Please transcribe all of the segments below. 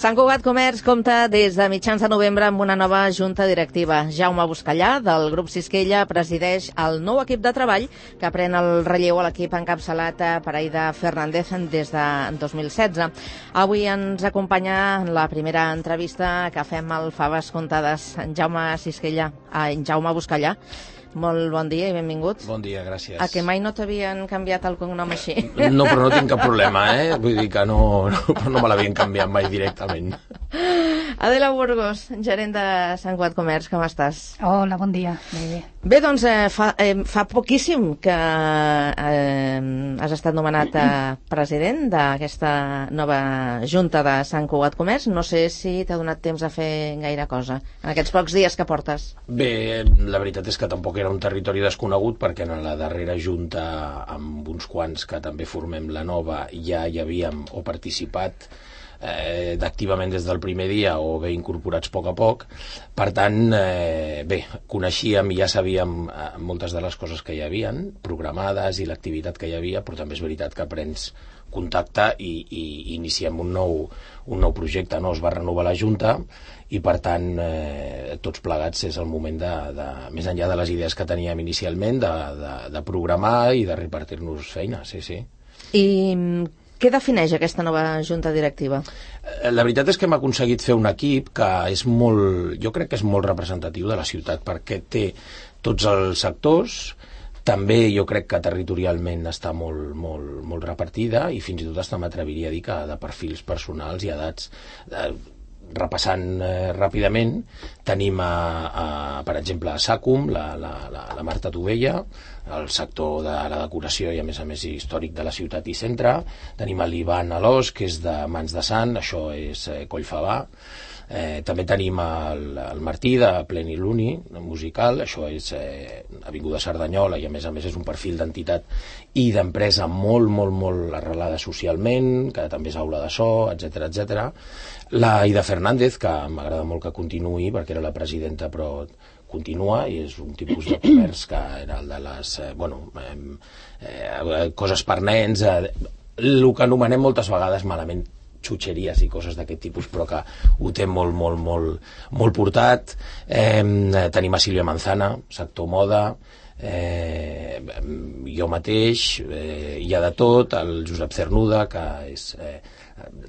Sant Cugat Comerç compta des de mitjans de novembre amb una nova junta directiva. Jaume Buscallà, del grup Sisquella, presideix el nou equip de treball que pren el relleu a l'equip encapçalat per Aida Fernández des de 2016. Avui ens acompanya en la primera entrevista que fem al Faves Comptades. Jaume Buscallà. Molt bon dia i benvingut. Bon dia, gràcies. A que mai no t'havien canviat el cognom així? No, però no tinc cap problema, Vull dir que no me l'havien canviat mai directament. Adela Burgos, gerent de Sant Cugat Comerç, com estàs? Hola, bon dia. Bé, doncs fa poquíssim que has estat nomenat president d'aquesta nova junta de Sant Cugat Comerç. No sé si t'ha donat temps a fer gaire cosa en aquests pocs dies que portes. Bé, la veritat és que tampoc era un territori desconegut, perquè en la darrera junta, amb uns quants que també formem la nova, ja hi havíem o participat activament des del primer dia o bé incorporats a poc. Per tant, bé, coneixíem i ja sabíem moltes de les coses que hi havien programades i l'activitat que hi havia, però també és veritat que prens contacte i iniciem un nou projecte. Es va renovar la Junta i, per tant, tots plegats és el moment més enllà de les idees que teníem inicialment, de programar i de repartir-nos feina, sí. I què defineix aquesta nova junta directiva? La veritat és que hem aconseguit fer un equip que és jo crec que és molt representatiu de la ciutat, perquè té tots els sectors. També jo crec que territorialment està molt repartida i fins i tot hasta m'atreviria a dir que de perfils personals i edats. Repassant ràpidament, tenim per exemple a SACUM la Marta Tovella, el sector de la decoració i a més històric de la ciutat i centre. Tenim l'Ivan Alòs, que és de Mans de Sant, això és Collfabà. També tenim el Martí de Pleniluni musical, això és Avinguda Cerdanyola, i a més és un perfil d'entitat i d'empresa molt arrelada socialment, que també és aula de so, etc. La Aida Fernández, que m'agrada molt que continuï perquè era la presidenta, però continua, i és un tipus de comerç que era el de les coses per nens, el que anomenem moltes vegades malament xutxeries i coses d'aquest tipus, però que ho té molt portat. Tenim a Sílvia Manzana, sector moda, jo mateix, hi ha de tot, el Josep Cernuda, que és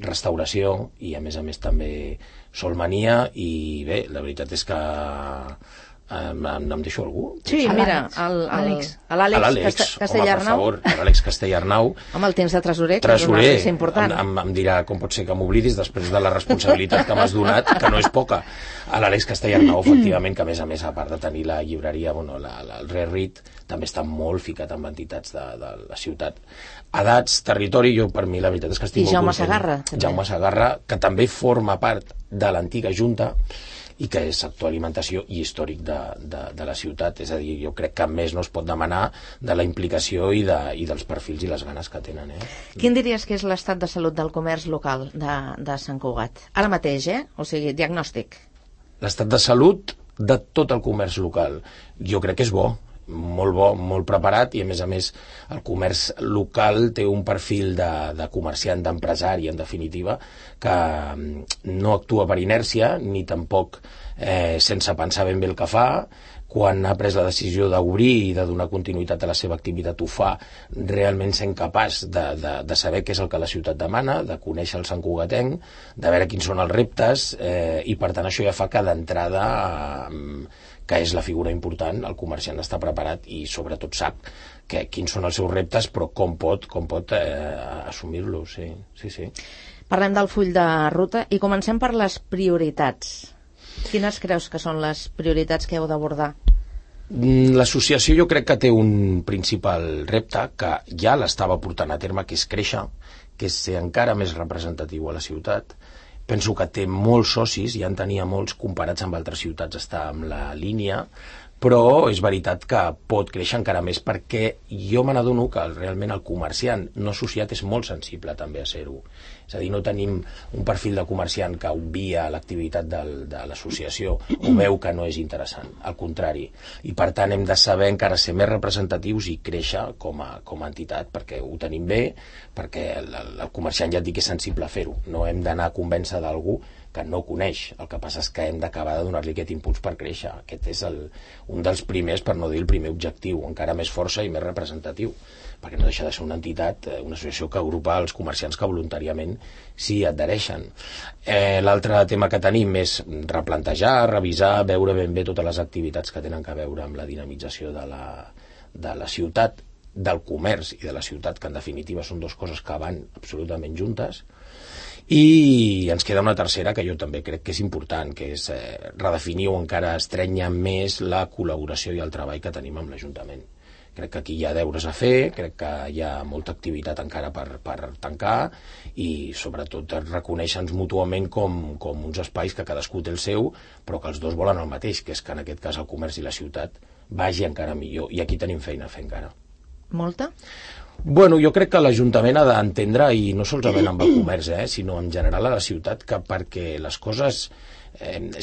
restauració, i a més també Solmania. I bé, la veritat és que em deixo algú? Sí, mira, l'Àlex Castellarnau. L'Àlex Castellarnau. Home, el temps de tresorer, que és important. Em dirà com pot ser que m'oblidis després de la responsabilitat que m'has donat, que no és poca. L'Àlex Castellarnau, efectivament, que a més, a part de tenir la llibreria, el Rerit, també està molt ficat amb entitats de la ciutat. Edats, territori, per mi la veritat és que estic molt content. Jaume Segarra, que també forma part de l'antiga Junta i que és sector alimentació i històric de la ciutat. És a dir, jo crec que més no es pot demanar de la implicació i dels perfils i les ganes que tenen. Quin diries que és l'estat de salut del comerç local de Sant Cugat? Ara mateix, o sigui, diagnòstic. L'estat de salut de tot el comerç local jo crec que és bo, molt preparat, i a més el comerç local té un perfil de comerciant, d'empresari, en definitiva, que no actua per inèrcia ni tampoc sense pensar ben bé el que fa. Quan ha pres la decisió d'obrir i de donar continuïtat a la seva activitat, ho fa realment sent capaç de saber què és el que la ciutat demana, de conèixer el santcugatenc, de veure quins són els reptes, i per tant això ja fa que d'entrada, que és la figura important, el comerciant està preparat i sobretot sap quins són els seus reptes, però com pot assumir-los. Sí. Parlem del full de ruta i comencem per les prioritats. Quines creus que són les prioritats que heu d'abordar? L'associació jo crec que té un principal repte que ja l'estava portant a terme, que és créixer, que és ser encara més representatiu a la ciutat. Penso que té molts socis, ja en tenia molts comparats amb altres ciutats, està amb la línia, però és veritat que pot créixer encara més perquè jo me n'adono que realment el comerciant no associat és molt sensible també a ser-ho. És a dir, no tenim un perfil de comerciant que obvia l'activitat de l'associació o veu que no és interessant, al contrari. I per tant hem de saber encara ser més representatius i créixer com a entitat, perquè ho tenim bé, perquè el comerciant ja et dic que és sensible a fer-ho. No hem d'anar a convèncer d'algú que no coneix. El que passa és que hem d'acabar de donar-li aquest impuls per créixer. Aquest és un dels primers, per no dir el primer objectiu, encara més força i més representatiu, perquè no deixa de ser una entitat, una associació que agrupa els comerciants que voluntàriament s'hi adhereixen. L'altre tema que tenim és replantejar, revisar, veure ben bé totes les activitats que tenen a veure amb la dinamització de la ciutat, del comerç i de la ciutat, que en definitiva són dues coses que van absolutament juntes. I ens queda una tercera que jo també crec que és important, que és redefinir o encara estrènyer més la col·laboració i el treball que tenim amb l'Ajuntament. Crec que aquí hi ha deures a fer, crec que hi ha molta activitat encara per tancar i sobretot reconèixer-nos mútuament com uns espais que cadascú té el seu, però que els dos volen el mateix, que és que en aquest cas el comerç i la ciutat vagi encara millor, i aquí tenim feina a fer encara. Molta? Bueno, jo crec que l'Ajuntament ha d'entendre, i no solament amb el comerç, sinó en general a la ciutat, que perquè les coses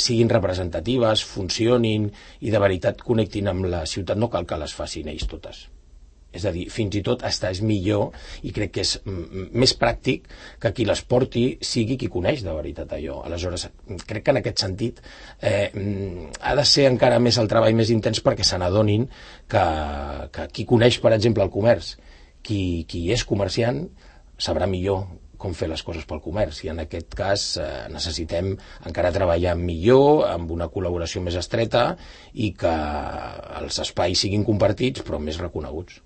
siguin representatives, funcionin i de veritat connectin amb la ciutat, no cal que les facin ells totes. És a dir, fins i tot és millor, i crec que és més pràctic que qui les porti sigui qui coneix de veritat allò. Aleshores, crec que en aquest sentit ha de ser encara més el treball més intens perquè se n'adonin que qui coneix, per exemple, el comerç, qui és comerciant, sabrà millor com fer les coses pel comerç, i en aquest cas necessitem encara treballar millor, amb una col·laboració més estreta i que els espais siguin compartits però més reconeguts.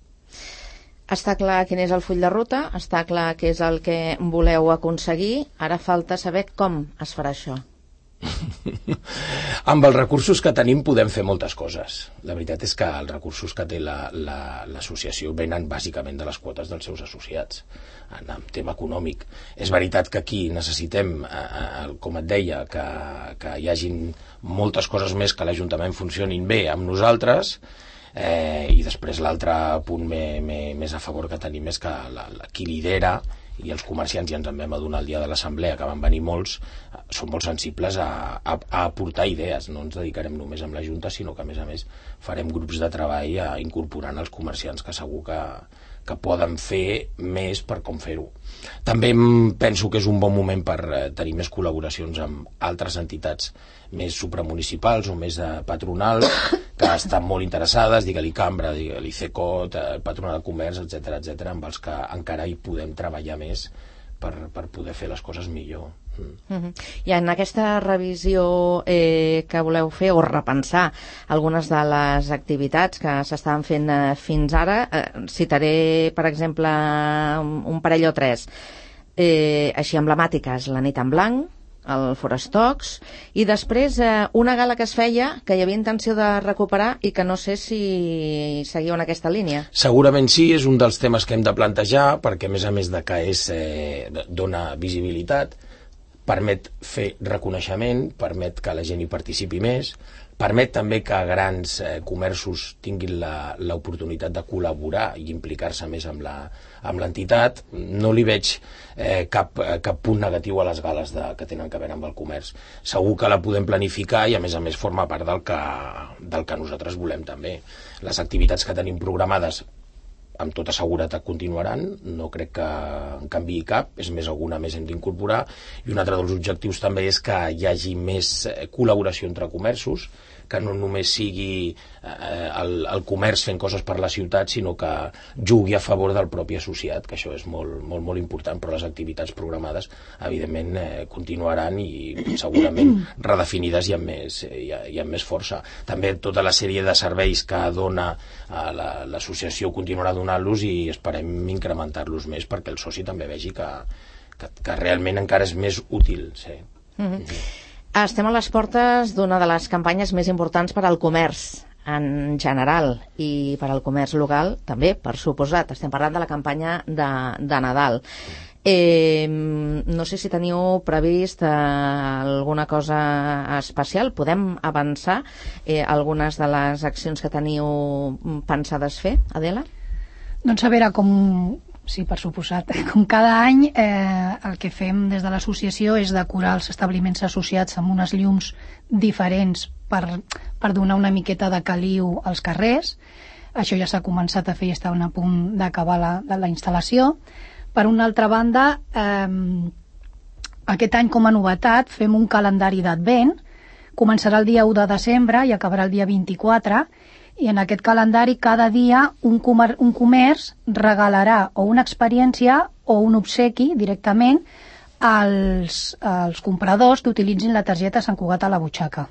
Està clar quin és el full de ruta, està clar què és el que voleu aconseguir, ara falta saber com es farà això. Amb els recursos que tenim podem fer moltes coses. La veritat és que els recursos que té l'associació venen bàsicament de les quotes dels seus associats en el tema econòmic. És veritat que aquí necessitem, com et deia, que hi hagin moltes coses més, que l'Ajuntament funcionin bé amb nosaltres, i després l'altre punt més a favor que tenim és que qui lidera, i els comerciants ja ens en vam adonar el dia de l'assemblea, que van venir molts, són molt sensibles a aportar idees. No ens dedicarem només amb la Junta, sinó que a més farem grups de treball incorporant els comerciants, que segur que poden fer més per com fer-ho. També penso que és un bon moment per tenir més col·laboracions amb altres entitats més supramunicipals o més patronals, que estan molt interessades, digue-li Cambra, digue-li CECOT, Patronat de Comerç, etc., amb els que encara hi podem treballar més per poder fer les coses millor. I en aquesta revisió que voleu fer o repensar algunes de les activitats que s'estaven fent fins ara, citaré per exemple un parell o tres així emblemàtiques: la nit en blanc, el Forestox, i després una gala que es feia, que hi havia intenció de recuperar i que no sé si seguiu en aquesta línia. Segurament sí, és un dels temes que hem de plantejar, perquè a més de que dona visibilitat, permet fer reconeixement, permet que la gent hi participi més, permet també que grans comerços tinguin l'oportunitat de col·laborar i implicar-se més amb l'entitat. No li veig cap punt negatiu a les gales que tenen a veure amb el comerç. Segur que la podem planificar i a més forma part del que nosaltres volem també. Les activitats que tenim programades amb tota seguretat continuaran, no crec que en canviï cap, és més, alguna més hem d'incorporar, i un altre dels objectius també és que hi hagi més col·laboració entre comerços, que no només sigui el comerç fent coses per la ciutat, sinó que jugui a favor del propi associat, que això és molt, molt, molt important, però les activitats programades evidentment continuaran i segurament redefinides i amb més força. També tota la sèrie de serveis que dona l'associació continuarà donant-los i esperem incrementar-los més perquè el soci també vegi que realment encara és més útil. Sí. Estem a les portes d'una de les campanyes més importants per al comerç en general i per al comerç local també, per suposat. Estem parlant de la campanya de Nadal. No sé si teniu previst alguna cosa especial. Podem avançar algunes de les accions que teniu pensades fer, Adela? Doncs a veure, sí, per suposat, com cada any el que fem des de l'associació és decorar els establiments associats amb unes llums diferents per donar una miqueta de caliu als carrers. Això ja s'ha començat a fer i està a punt d'acabar la instal·lació. Per una altra banda, aquest any com a novetat fem un calendari d'advent. Començarà el dia 1 de desembre i acabarà el dia 24, i en aquest calendari cada dia un comerç regalarà o una experiència o un obsequi directament als compradors que utilitzin la targeta Sant Cugat a la butxaca.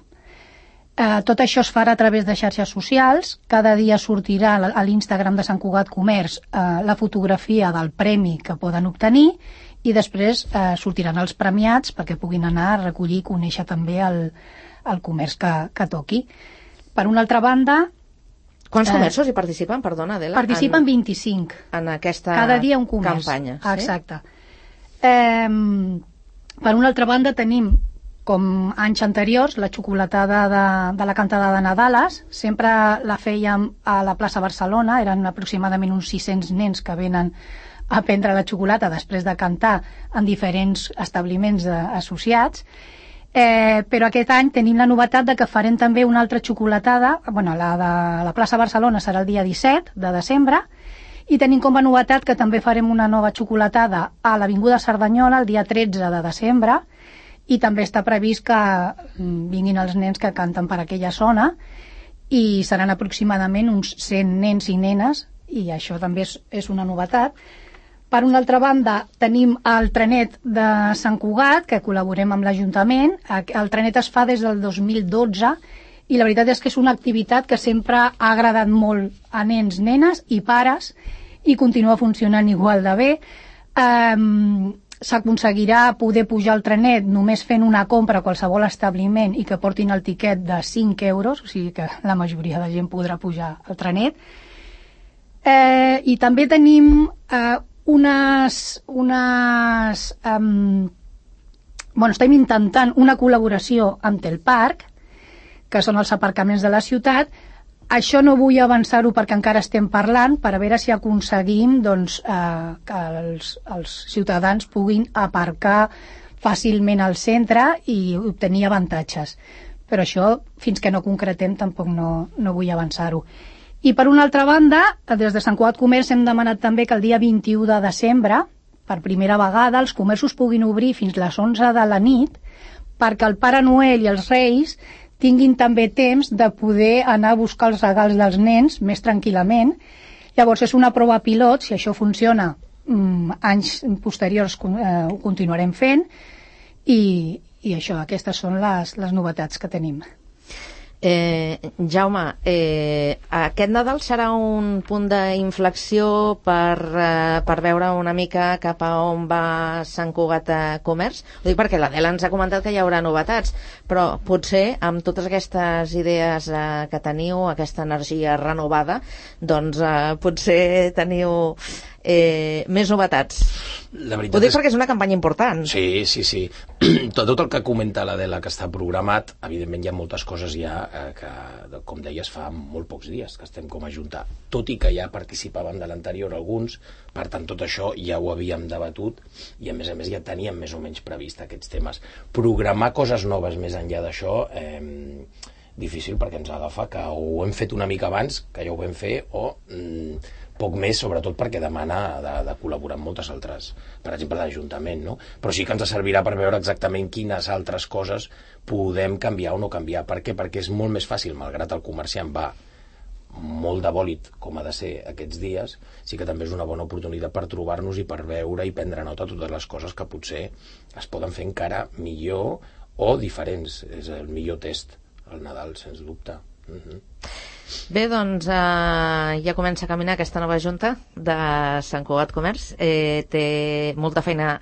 Tot això es farà a través de xarxes socials. Cada dia sortirà a l'Instagram de Sant Cugat Comerç la fotografia del premi que poden obtenir i després sortiran els premiats perquè puguin anar a recollir i conèixer també el comerç que toqui. Per una altra banda... Quants comerços hi participen, perdona, Adela? Participen 25. En aquesta cada dia un comerç. Campanya. Sí? Exacte. Per una altra banda tenim, com anys anteriors, la xocolatada de la cantada de Nadales. Sempre la fèiem a la plaça Barcelona, eren aproximadament uns 600 nens que venen a prendre la xocolata després de cantar en diferents establiments associats. Però aquest any tenim la novetat de que farem també una altra xocolatada, la de la plaça Barcelona serà el dia 17 de desembre, i tenim com a novetat que també farem una nova xocolatada a l'Avinguda Cerdanyola el dia 13 de desembre, i també està previst que vinguin els nens que canten per aquella zona, i seran aproximadament uns 100 nens i nenes, i això també és una novetat. Per una altra banda, tenim el trenet de Sant Cugat, que col·laborem amb l'Ajuntament. El trenet es fa des del 2012 i la veritat és que és una activitat que sempre ha agradat molt a nens, nenes i pares i continua funcionant igual de bé. S'aconseguirà poder pujar al trenet només fent una compra a qualsevol establiment i que portin el tiquet de 5 euros, o sigui que la majoria de gent podrà pujar al trenet. I també tenim... estem intentant una col·laboració amb Telparc, que són els aparcaments de la ciutat. Això no vull avançar-ho perquè encara estem parlant, per a veure si aconseguim que els ciutadans puguin aparcar fàcilment al centre i obtenir avantatges. Però això, fins que no concretem, tampoc no vull avançar-ho. I per una altra banda, des de Sant Cugat Comerç hem demanat també que el dia 21 de desembre, per primera vegada, els comerços puguin obrir fins les 11 de la nit perquè el Pare Noel i els Reis tinguin també temps de poder anar a buscar els regals dels nens més tranquil·lament. Llavors és una prova pilot, si això funciona, anys posteriors ho continuarem fent i això, aquestes són les novetats que tenim. Jaume, aquest Nadal serà un punt d'inflexió per veure una mica cap a on va Sant Cugat Comerç? Ho dic perquè l'Adela ens ha comentat que hi haurà novetats, però potser amb totes aquestes idees que teniu, aquesta energia renovada, doncs potser teniu més novetats. Ho dic perquè és una campanya important. Sí. Tot el que comenta l'Adela que està programat, evidentment hi ha moltes coses ja que, com deies, fa molt pocs dies que estem com a Junta, tot i que ja participaven de l'anterior alguns, per tant tot això ja ho havíem debatut i a més ja teníem més o menys previst aquests temes. Programar coses noves més enllà d'això difícil perquè ens agafa que ho hem fet una mica abans, que ja ho vam fer, o poc més, sobretot perquè demana de col·laborar amb moltes altres, per exemple l'Ajuntament, no? Però sí que ens servirà per veure exactament quines altres coses podem canviar o no canviar. Per què? Perquè és molt més fàcil, malgrat el comerciant va molt de bòlit com ha de ser aquests dies, sí que també és una bona oportunitat per trobar-nos i per veure i prendre nota de totes les coses que potser es poden fer encara millor o diferents. És el millor test, el Nadal, sens dubte. Bé, doncs ja comença a caminar aquesta nova junta de Sant Cugat Comerç. Té molta feina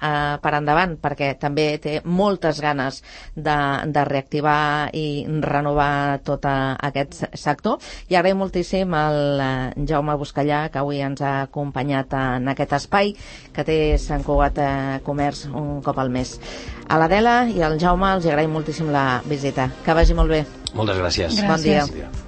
per endavant, perquè també té moltes ganes de reactivar i renovar tot aquest sector. I agraïm moltíssim al Jaume Buscallà, que avui ens ha acompanyat en aquest espai que té Sant Cugat Comerç un cop al mes. A l'Adela i al Jaume els agraïm moltíssim la visita. Que vagi molt bé. Moltes gràcies. Gràcies. Bon dia.